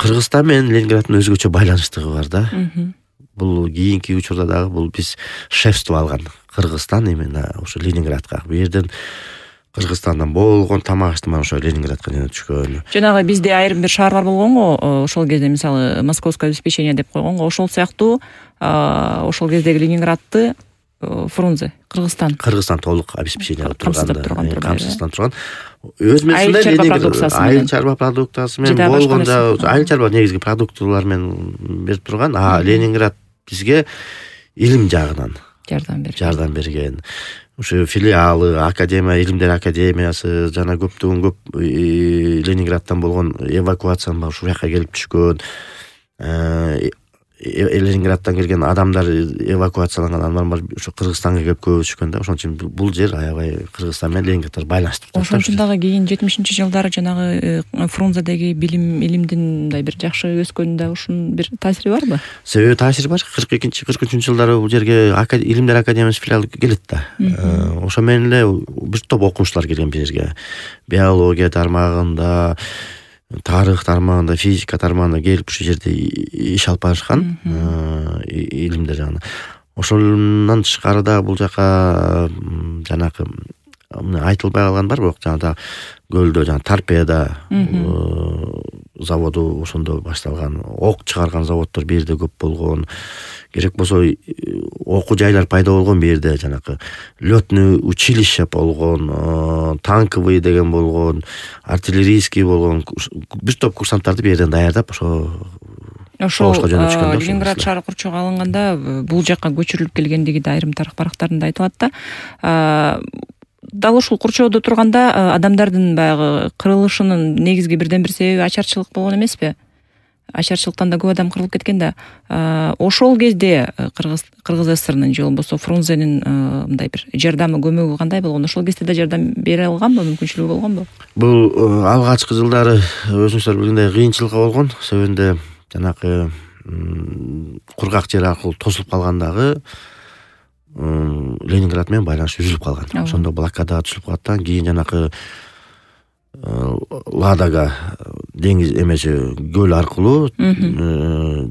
Кыргызстан менен Ленинграддын өзгөчө байланыштыгы бар да. Бул кийинки учурда дагы бул биз шефство алган Кыргызстан именно ошо Ленинградка. Бу жерден Кыргызстандан болгон тамак аштырма ошо Ленинградка жөнөтүшкөн. Жанагы бизде айрым бир шаарлар болгонго, ошол кезде мисалы московское обеспечение деп койгонго, ошол сыяктуу ошол кездеги Ленинградты Фрунзе Кыргызстан толук обеспечение кылып турган, камсыздап турган. Өз мезгилинде айыл чарба продукциясы менен болгондо айыл чарба негизги продуктылар менен берип турган, Ленинград бизге илим жагынан жардам берген. Ошо филиалы, академия, илимдер академиясы жана көптөгөн Ленинградтан болгон эвакуацияны ушул жака келип түшкөн. Ленинградтан келген адамдар, эвакуацияланган адамдар ошо Кыргызстанга келип көп түшкөн да. Ошон үчүн бул жер аябай Кыргызстан менен Ленинградты байланыштырып турат. Ошон үчүн дагы кийин 70-жылдары жанагы Фрунзедеги илимдин мындай бир жакшы өскөнүндө ушунун бир таасири барбы? Себеби таасири бар. 42-43 жылдары бул жерге илимдер академиясы филиалы келет да. Ошо менен эле бир топ окумуштуулар келген бул жерге. Биология тармагында, тарых тармагында, физика тармагында келип ушул жерде иш алып барышкан, илимдер жагынан. Ошондон тышкары да бул жака жанагы айтылбай калган бар, бирок жанагы көлдө торпеда заводу ошондо башталган, ок чыгарган заводдор бир жерде көп болгон. Керек болсо окуу жайлар пайда болгон бир жерде, жанагы лётный училище болгон, танковый деген болгон, артиллерийский болгон. Бир топ курсанттарды бир жерден даярдап ошо Ленинград шаары курчоого алынганда бул жакка көчүрүлүп келгендиги да айрым тарых барактарында айтылат да. Дал ушул курчоодо турганда адамдардын баягы кырылышынын негизги бирден бир себеби ачарчылык болгон эмеспи? Ачарчылыктан да көп адам кырылып кеткен да. Ошол кезде Кыргыз ССРнын же болбосо Фрунзенин мындай бир жардамы, көмөгү кандай болгон? Ошол кезде да жардам бере алганбы, мүмкүнчүлүгү болгонбу? Бул алгачкы жылдары өзүңүздөр билгендей кыйынчылык болгон. Себебинде жанагы кургак жер аркылуу тосулуп калгандагы Ленинград менен байланыш үзүлүп калган. Ошондо блокада түшүп калган. Кийин жанагы Ладога деңиз эмеси көл аркылуу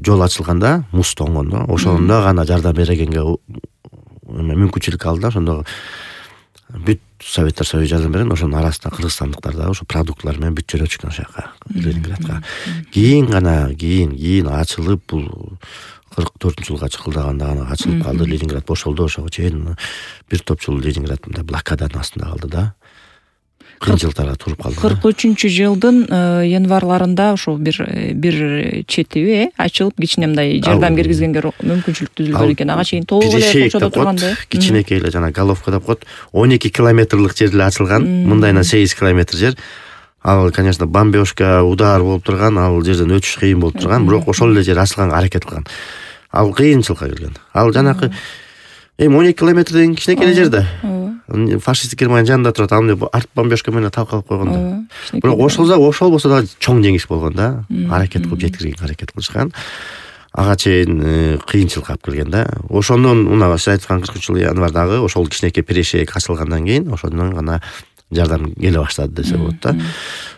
жол ачылганда, муз тоңгондо, ошондо гана жардам берегенге мүмкүнчүлүк алды. Ошондо бүт Советтер Союзу жардам берген. Ошонун арасында кыргызстандыктар да ошо продуктлар менен бүт жөнөтүшкөн ошол жака, Ленинградка. Кийин ачылып, бул 44-жылга чыкылдаганда гана ачылып калды. Ленинград бошолду. Ошого чейин бир топ жыл Ленинград мындай блокаданын астында калды да. Кыйынчылыктарга туруп калды. 43-жылдын январларында ошо бир четиби ачылып, кичине мындай жардам киргизгенге мүмкүнчүлүк түзүлгөн экен. Ага чейин толук эле курчоодо турганда. Кичинекей эле жана головка деп коет. 12 километрлык жер эле ачылган. Мындайынан 8 километр жер. Ал, конечно, бомбежка, удар болуп турган, ал жерден өтүш кыйын болуп турган, бирок ошол эле жер ачылганга аракет кылган. Ал кыйынчылыкка келген. Ал жанакы 12 километр деген кичинекей эле жер да. Фашисттик Германия жанында турат. Ал арт бомбежка менен талкалап койгон да. Бирок ошол болсо да чоң жеңиш болгон да. Аракет кылып жеткиргенге аракет кылышкан. Ага чейин кыйынчылык алып келген да. Ошондон мына сиз айткан 40-жыл январдагы ошол кичинекей перешеек ачылгандан кийин ошондон гана жардам келе баштады десе болот да.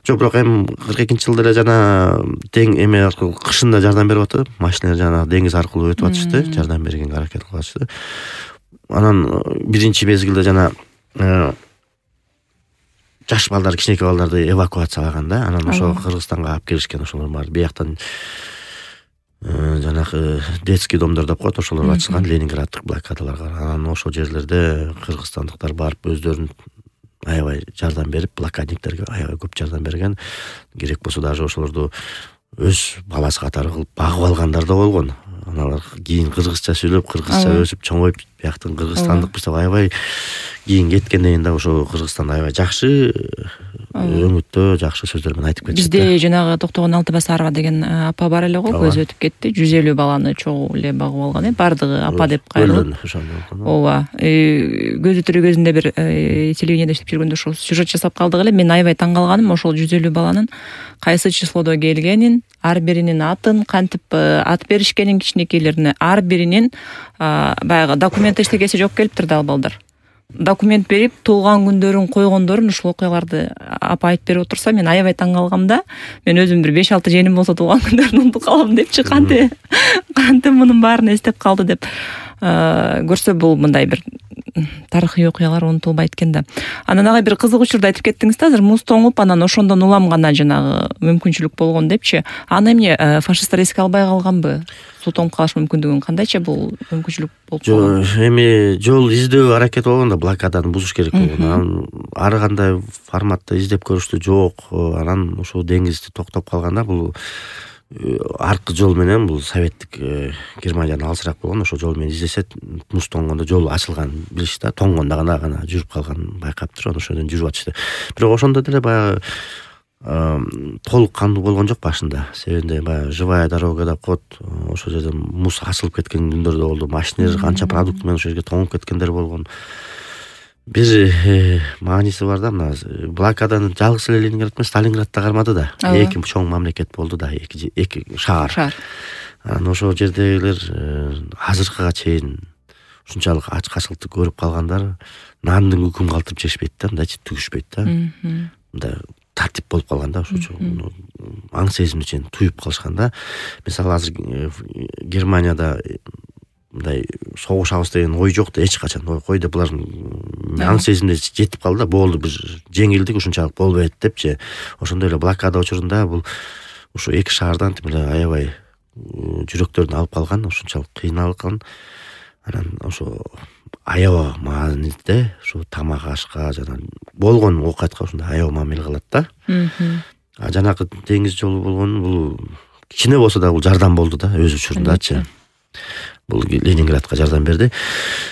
Жок, бирок эми 42-жылда эле жана тең эме аркылуу кышында жардам берип атты. Машиналар жана деңиз аркылуу өтүп атышты, жардам бергенге аракет кылып атышты. Анан биринчи мезгилде жана жаш балдар, кичинекей балдарды эвакуациялаган да. Анан ошо Кыргызстанга алып келишкен ошолор бар. Бияктан жанагы детский домдор деп коет, ошолор ачылган Ленинграддык блокадаларга. Анан ошол жерлерде кыргызстандыктар барып өздөрүн аябай жардам берип, блокадниктерге аябай көп жардам берген. Керек болсо даже ошолорду өз баласы катары кылып багып алгандар да болгон. Аналар кийин кыргызча сүйлөп, кыргызча өсүп чоңоюп, бияктын кыргызстандык бирсе аябай кийин кеткенден кийин да ошо Кыргызстан аябай жакшы өңүттө, жакшы сөздөр менен айтып кетти. Бизде жанагы Токтогон Алтыбасарова деген апа бар эле го, көзү өтүп кетти. 150 баланы чогуу эле багып алган, бардыгы апа деп кайрылып. Ооба. Көзү тирүү кезинде бир телевидениеде иштеп жүргөндө ошол сюжет жасап калдык эле. Мен аябай таң калганым ошол 150 баланын кайсы числодо келгенин, ар биринин атын, кантип ат беришкенин, кичинекейлерине ар биринин баягы документ эчтекеси жок келиптир да ал балдар. документ берип туулган күндөрүн койгондорун ушул окуяларды апа айтып берип отурса мен аябай таң калгам да. Мен өзүм бир 5-6 жeenим болсо туулган күндөрүн унутуп калам депчи, кантип мунун баарын эстеп калды деп көрсө бул мындай бир тарыхый окуялар унутулбайт экен да. Анан ага бир кызык учурду айтып кеттиңиз да, азыр муз тоңуп анан ошондон улам гана жанагы мүмкүнчүлүк болгон депчи. Аны эмне фашисттер эске албай калганбы? Суу тоңуп калыш мүмкүндүгүн кандайча бул мүмкүнчүлүк болуп калган? Эми жол издөө аракети болгон да, блокаданы бузуш керек болгон. Анан ар кандай форматта издеп көрүштү, жок. Анан ошол деңизди токтоп калганда бул аркы жол менен, бул советтик Германиядан алысыраак болгон, ошол жол менен издесе муз тоңгондо жол ачылган билишти да, тоңгондо гана жүрүп калган байкаптыр, ошодон жүрүп атышты. Бирок ошондо деле баягы толук кандуу болгон жок башында. Себебинде баягы живая дорога деп коет, ошол жерде муз ачылып кеткен күндөр да болду. Машиналар канча продукт менен ошол жерге тоңуп кеткендер болгон. Бир мааниси бар да, мына блокаданы жалгыз эле Ленинград эмес, Сталинградда кармады да. Эки чоң мамлекет болду да, эки шаар. Анан ошол жердегилер азыркыга чейин ушунчалык ачкачылыкты көрүп калгандар нандын үкүм калтырып жешпейт да, мындайчы түгүшпөйт да. Мындай тартип болуп калган да, ошо аң сезимди чейин туюп калышкан да. Мисалы азыр Германияда мындай согушабыз деген ой жок да, эч качан. Койду булар аң сезимде жетип калды да, болду бир жеңилдик ушунчалык болбойт депчи. Ошондой эле блокада учурунда бул ушу эки шаардан эле аябай жүрөктөрүн алып калган, ушунчалык кыйналган. Анан ошо аябай мааниде ушу тамак ашка жана болгон оокатка ушундай аябай мамиле кылат да. Жанагы деңиз жолу болгон бул кичине болсо да бул жардам болду да, өз учурундачы. Бул Ленинградка жардам берди.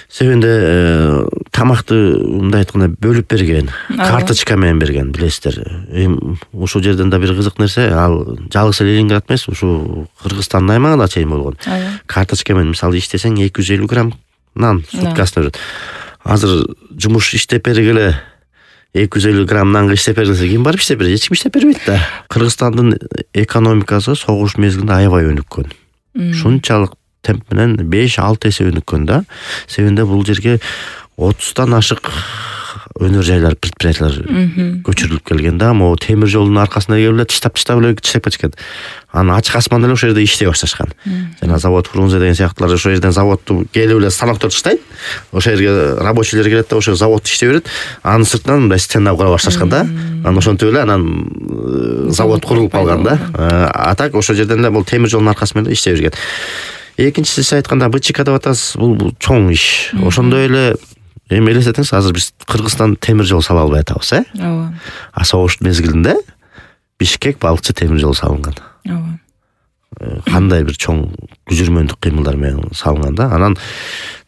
Себебинде тамакты мындай айтканда бөлүп берген, карточка менен берген, билесиздер. Ушул жерден да бир кызык нерсе, ал жалгыз Ленинград эмес, ушу Кыргызстандын аймагында чейин болгон. Карточка менен мисалы иштесең 250 грамм нан суткасына берет. Азыр жумуш иштеп бергиле 250 грамм нанга иштеп бергиле ким барып иштеп берет? Эч ким иштеп бербейт да. Кыргызстандын экономикасы согуш мезгилинде аябай өнүккөн. Шунчалык темп менен 5-6 эсе өнүккөн да. Себебинде бул жерге 30тан ашык өнөр жайлар, предприятиялар көчүрүлүп келген да. Могу темир жолдун аркасында келип тыштап кетишкен. Анан ачык асман эле ошол жерде иштей башташкан. Жана завод Фрунзе деген сыяктуулар ошол жерден заводду келип эле станоктор таштайт. Ошол жерге рабочийлер келет да, ошол завод иштей берет. Анын сыртынан мындай стена кура башташкан да. Анан ошентип эле анан завод курулуп калган да. А так ошол жерден эле бул темир жолдун аркасы менен иштей берген. Экинчиси сиз айтканда БЧК деп атасыз, бул чоң иш. Ошондой эле эми элестетиңиз, азыр биз Кыргызстан темир жол сала албай атабыз, Ооба. А согуш мезгилинде Бишкек балыкчы темир жол салынган. Ооба. Кандай бир чоң күжүрмөндүк кыймылдар менен салынган да. Анан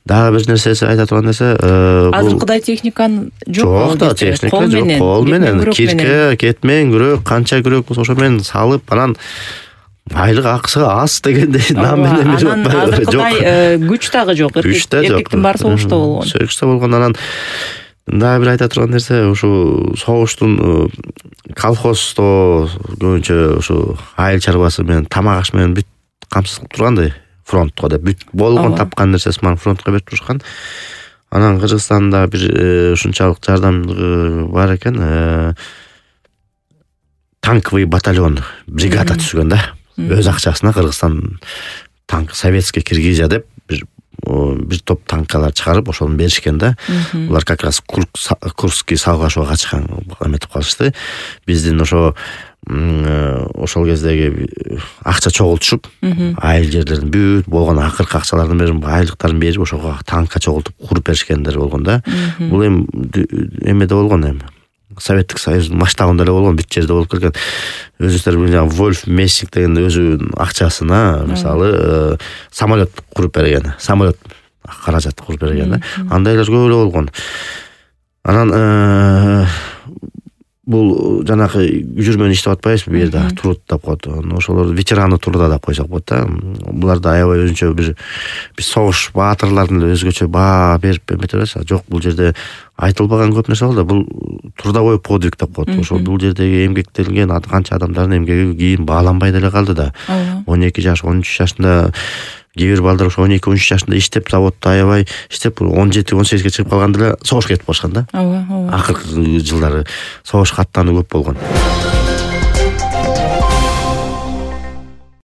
дагы бир нерсеси айта турган нерсе, азыркыдай техниканын жок да, техника жок, кол менен, кирке, кетмен, күрөк, канча күрөк болсо ошо менен салып, анан айлык акысы аз дегендей нам менен берип атпайбы? Азыркыдай күч дагы жок. Эркектин баары согушта болгон. Согушта болгон. Анан дагы бир айта турган нерсе, ушу согуштун колхоздо көбүнчө ушу айыл чарбасы менен, тамак аш менен бүт камсыз кылып тургандай, фронтко деп бүт болгон тапкан нерсеси менен фронтко берип турушкан. Анан Кыргызстанда бир ушунчалык жардамдыгы бар экен. Танковый батальон, бригада түзгөн да. Өз акчасына Кыргызстан танк советский киргизия деп бир топ танкалар чыгарып ошону беришкен да. Булар как раз Курский салгылашууга качкан эметип калышты. Биздин ошол кездеги акча чогултушуп, айыл жерлердин бүт болгон акыркы акчаларын берип, айлыктарын берип, ошого танкка чогултуп куруп беришкендер болгон да. Бул эми эмеде болгон эми. Советтик Союздун масштабында эле болгон, бүт жерде болуп келген. Өзүңүздөр билген Вольф Мессинг деген өзүнүн акчасына мисалы самолет куруп берген. Самолет каражат куруп берген да. Андайлар көп эле болгон. Анан бул жанагы жүрмөн иштеп атпайбызбы, бу жерде труд деп коет. Ошолор ветераны труда деп койсок болот да. Булар да аябай өзүнчө бир согуш баатырларын эле өзгөчө баа берип эметебиз. Жок, бул жерде айтылбаган көп нерсе болду. Бул трудовой подвиг деп коет. Ошол бул жердеги эмгектелген канча адамдардын эмгеги кийин бааланбай деле калды да. 12 жаш, 13 жашында кээ бир балдар ошо 12-13 жашында иштеп, заводдо аябай иштеп 17-18ге чыгып калганда эле согушка кетип калышкан да. ооба. Акыркы жылдары согушка аттануу көп болгон.